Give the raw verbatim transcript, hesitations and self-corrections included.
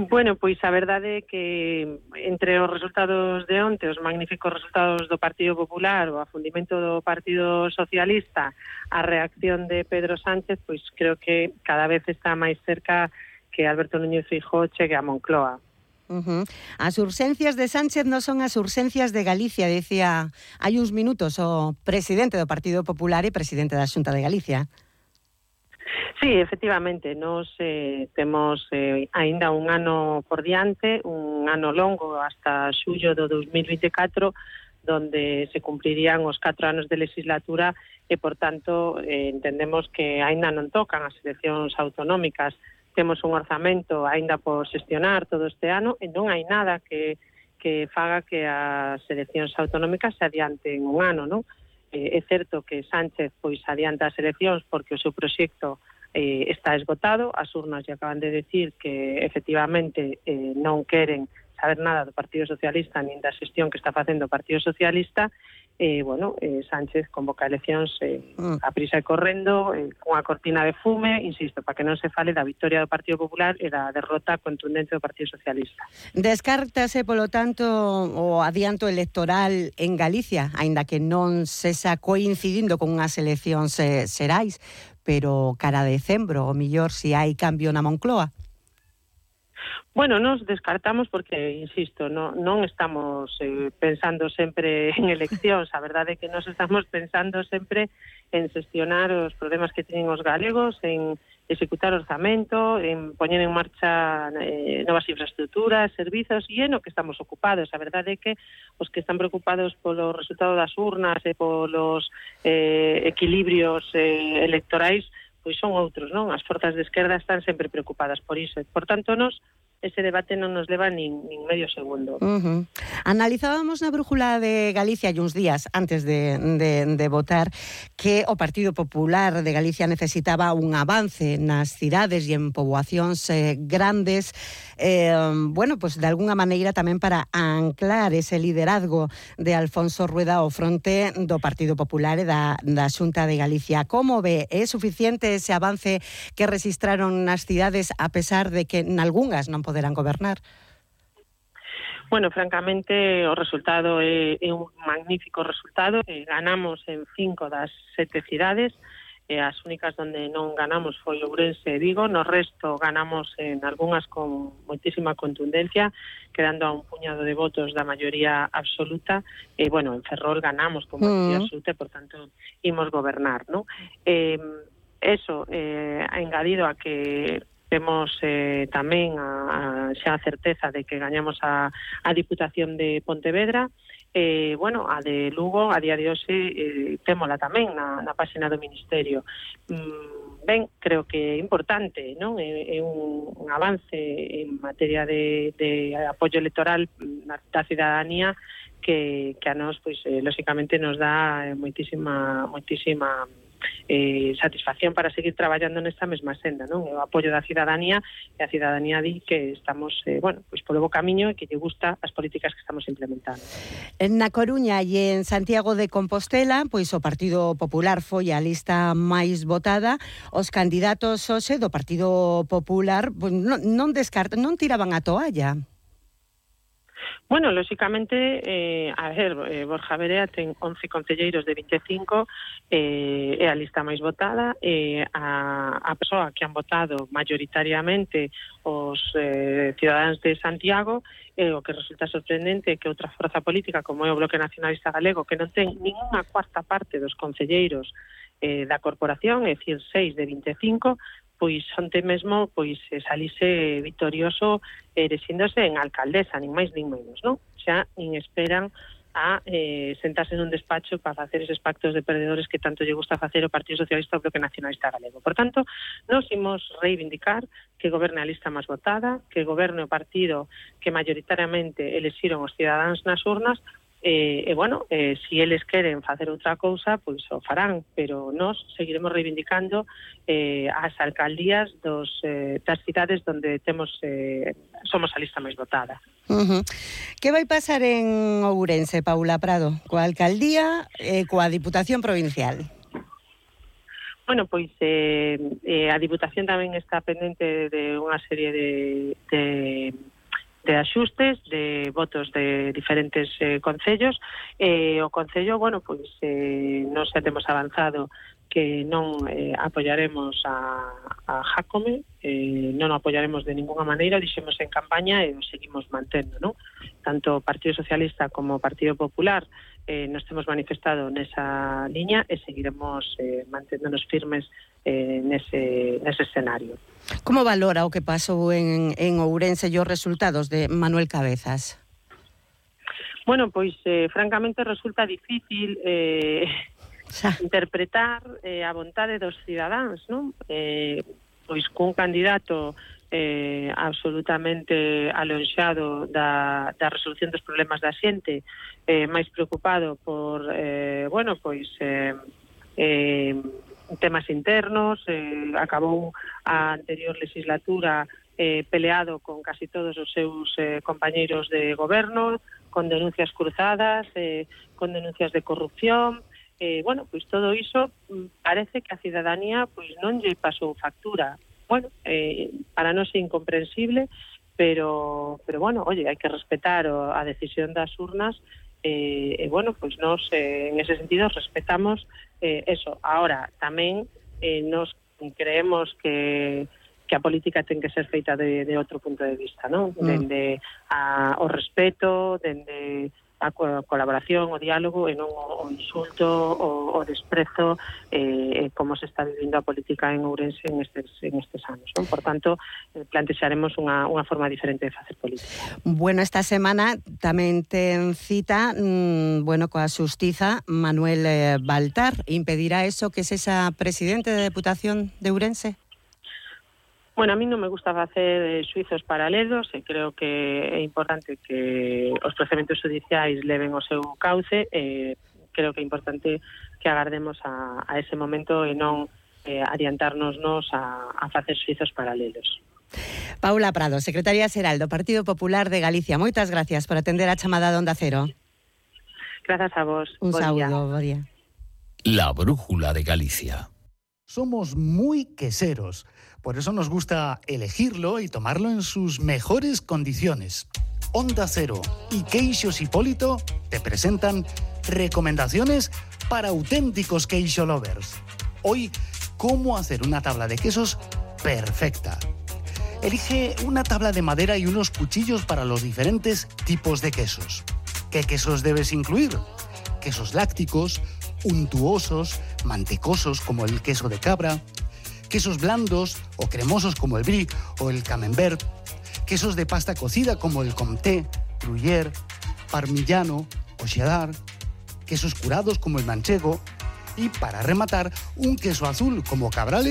Bueno, pois a verdade é que entre os resultados de onte, os magníficos resultados do Partido Popular, o afundimento do Partido Socialista, a reacción de Pedro Sánchez, pois creo que cada vez está máis cerca que Alberto Núñez Feijóo chegue a Moncloa. Uh-huh. As urxencias de Sánchez non son as urxencias de Galicia, decía hai uns minutos o presidente do Partido Popular e presidente da Xunta de Galicia. Sí, efectivamente, nos eh, temos eh, aínda un ano por diante, un ano longo hasta xullo do dos mil vinte e catro, donde se cumprirían os catro anos de legislatura e, por tanto, eh, entendemos que aínda non tocan as eleccións autonómicas. Temos un orzamento aínda por xestionar todo este ano e non hai nada que, que faga que as eleccións autonómicas se adianten un ano, non? Eh, é certo que Sánchez pois adianta as eleccións porque o seu proxecto eh, está esgotado, as urnas lle acaban de decir que efectivamente eh, non queren saber nada do Partido Socialista nin da xestión que está facendo o Partido Socialista. Eh, bueno, eh, Sánchez convoca eleccións eh, a prisa e correndo, eh, cunha cortina de fume, insisto, para que non se fale da victoria do Partido Popular e da derrota contundente do Partido Socialista. Descártase, polo tanto, o adianto electoral en Galicia, aínda que non se xa coincidindo con unhas eleccións eh, xerais, pero cara a decembro, o millor si hai cambio na Moncloa. Bueno, nos descartamos porque, insisto, no, non estamos eh, pensando sempre en eleccións. A verdade é que nos estamos pensando sempre en xestionar os problemas que teñen os galegos, en executar orzamento, en poñer en marcha eh, novas infraestructuras, servizos, e é no que estamos ocupados. A verdade é que os que están preocupados polo resultado das urnas e polos eh, equilibrios eh, electorais, pois son outros, non? As forzas de esquerda están sempre preocupadas por iso. Por tanto, nos ese debate non nos leva nin, nin medio segundo. Uh-huh. Analizábamos na Brújula de Galicia hai uns días antes de, de, de votar que o Partido Popular de Galicia necesitaba un avance nas cidades e en poboacións eh, grandes, eh, bueno, pues de alguna maneira tamén para anclar ese liderazgo de Alfonso Rueda ao fronte do Partido Popular e da, da Xunta de Galicia. Como ve? É suficiente ese avance que registraron nas cidades a pesar de que nalgunhas non poderán gobernar? Bueno, francamente, o resultado é, é un magnífico resultado. Eh, ganamos en cinco das sete cidades. Eh, as únicas onde non ganamos foi Ourense e Vigo. No resto ganamos en algunhas con moitísima contundencia, quedando a un puñado de votos da maioría absoluta. E, eh, bueno, en Ferrol ganamos con maioría mm. absoluta, por tanto, imos gobernar, ¿no? Eh, eso, eh, ha engadido a que temos eh, tamén a, a xa a certeza de que gañamos a, a Diputación de Pontevedra. Eh, bueno, a de Lugo, a día de hoxe, eh, témola tamén na, na páxina do Ministerio. Mm, ben, creo que é importante, non? É, é un, un avance en materia de, de apoio electoral da cidadanía que, que a nós, pois, eh, lóxicamente, nos dá moitísima, moitísima eh, satisfacción para seguir traballando nesta mesma senda, non? O apoio da cidadanía, e a cidadanía di que estamos, eh, bueno, pois polo bo camiño e que lle gusta as políticas que estamos implementando. Na Coruña e en Santiago de Compostela, pois o Partido Popular foi a lista máis votada. Os candidatos hoxe do Partido Popular pois, non, non descartan, non tiraban a toalla. Bueno, lóxicamente, eh, a ver, eh, Borja Verea ten once concelleiros de vinte e cinco, eh, é a lista máis votada, eh, a, a persoa que han votado mayoritariamente os eh, cidadáns de Santiago, eh, o que resulta sorprendente é que outra forza política como é o Bloque Nacionalista Galego, que non ten ninguna cuarta parte dos concelleiros eh, da corporación, é dicir, seis de vinte e cinco, pois onte mesmo pois salise vitorioso erexíndose en alcaldesa, nin máis nin menos, non? Xa nin esperan a eh, sentarse nun despacho para facer eses pactos de perdedores que tanto lle gusta facer o Partido Socialista ou o Bloque Nacionalista Galego. Por tanto, nos imos reivindicar que goberne a lista máis votada, que goberne o partido que mayoritariamente elexiron os cidadáns nas urnas. E, e bueno, eh, si eles queren facer outra cousa, pois o farán, pero nós seguiremos reivindicando eh, as alcaldías dos, eh, das cidades onde temos eh, somos a lista máis votada. Uh-huh. Que vai pasar en Ourense, Paula Prado, coa alcaldía e coa Diputación Provincial? Bueno, pois eh, eh, a Diputación tamén está pendente de unha serie de, de, de axustes, de votos de diferentes eh, concellos. Eh, o Concello, bueno, pois eh, non xa temos avanzado que non eh, apoyaremos a, a Jácome, eh, non o apoyaremos de ninguna maneira, dixemos en campaña e o seguimos mantendo, non? Tanto o Partido Socialista como o Partido Popular eh, nos temos manifestado nesa liña e seguiremos eh, manténdonos firmes eh, nese, nese escenario. Como valora o que pasou en, en Ourense e os resultados de Manuel Cabezas? Bueno, pois eh, francamente resulta difícil eh, interpretar eh, a vontade dos cidadáns, non? Eh, pois cun candidato eh, absolutamente alonxado da, da resolución dos problemas da xente, eh, máis preocupado por, eh, bueno, pois eh, eh, temas internos, eh, acabou a anterior legislatura eh, peleado con casi todos os seus eh, compañeiros de goberno, con denuncias cruzadas, eh, con denuncias de corrupción. Eh, bueno, pois todo iso parece que a cidadanía pois non lle pasou factura. Bueno, eh, para nós é incomprensible, pero pero bueno, oye, hai que respetar o, a decisión das urnas e eh, eh, bueno, pois nós eh, en ese sentido respetamos eh, eso. Ahora, tamén eh, nos creemos que que a política ten que ser feita de, de outro punto de vista, non? Mm. Dende a, o respeto, dende a colaboración, o diálogo e non o, o insulto, o, o desprezo eh, como se está vivindo a política en Ourense en estes, en estes anos, non? Por tanto, eh, plantexaremos unha, unha forma diferente de facer política. Bueno, esta semana tamén ten cita mmm, bueno, coa xustiza Manuel eh, Baltar. Impedirá eso que es esa presidente de Deputación de Ourense? Bueno, a mí non me gusta facer xuizos paralelos e creo que é importante que os procedementos judiciais leven o seu cauce e creo que é importante que agardemos a, a ese momento e non eh, adiantarnosnos a, a facer xuizos paralelos. Paula Prado, secretaria xeral do Partido Popular de Galicia. Moitas gracias por atender a chamada de Onda Cero. Grazas a vos. Un bon saúdo, bo día. La brújula de Galicia. Somos muy queseros, por eso nos gusta elegirlo y tomarlo en sus mejores condiciones. Onda Cero y Queixos Hipólito te presentan recomendaciones para auténticos queixo lovers. Hoy, cómo hacer una tabla de quesos perfecta. Elige una tabla de madera y unos cuchillos para los diferentes tipos de quesos. ¿Qué quesos debes incluir? Quesos lácticos, untuosos, mantecosos como el queso de cabra, quesos blandos o cremosos como el brie o el camembert, quesos de pasta cocida como el comté, gruyère, parmigiano o cheddar, quesos curados como el manchego y, para rematar, un queso azul como Cabrales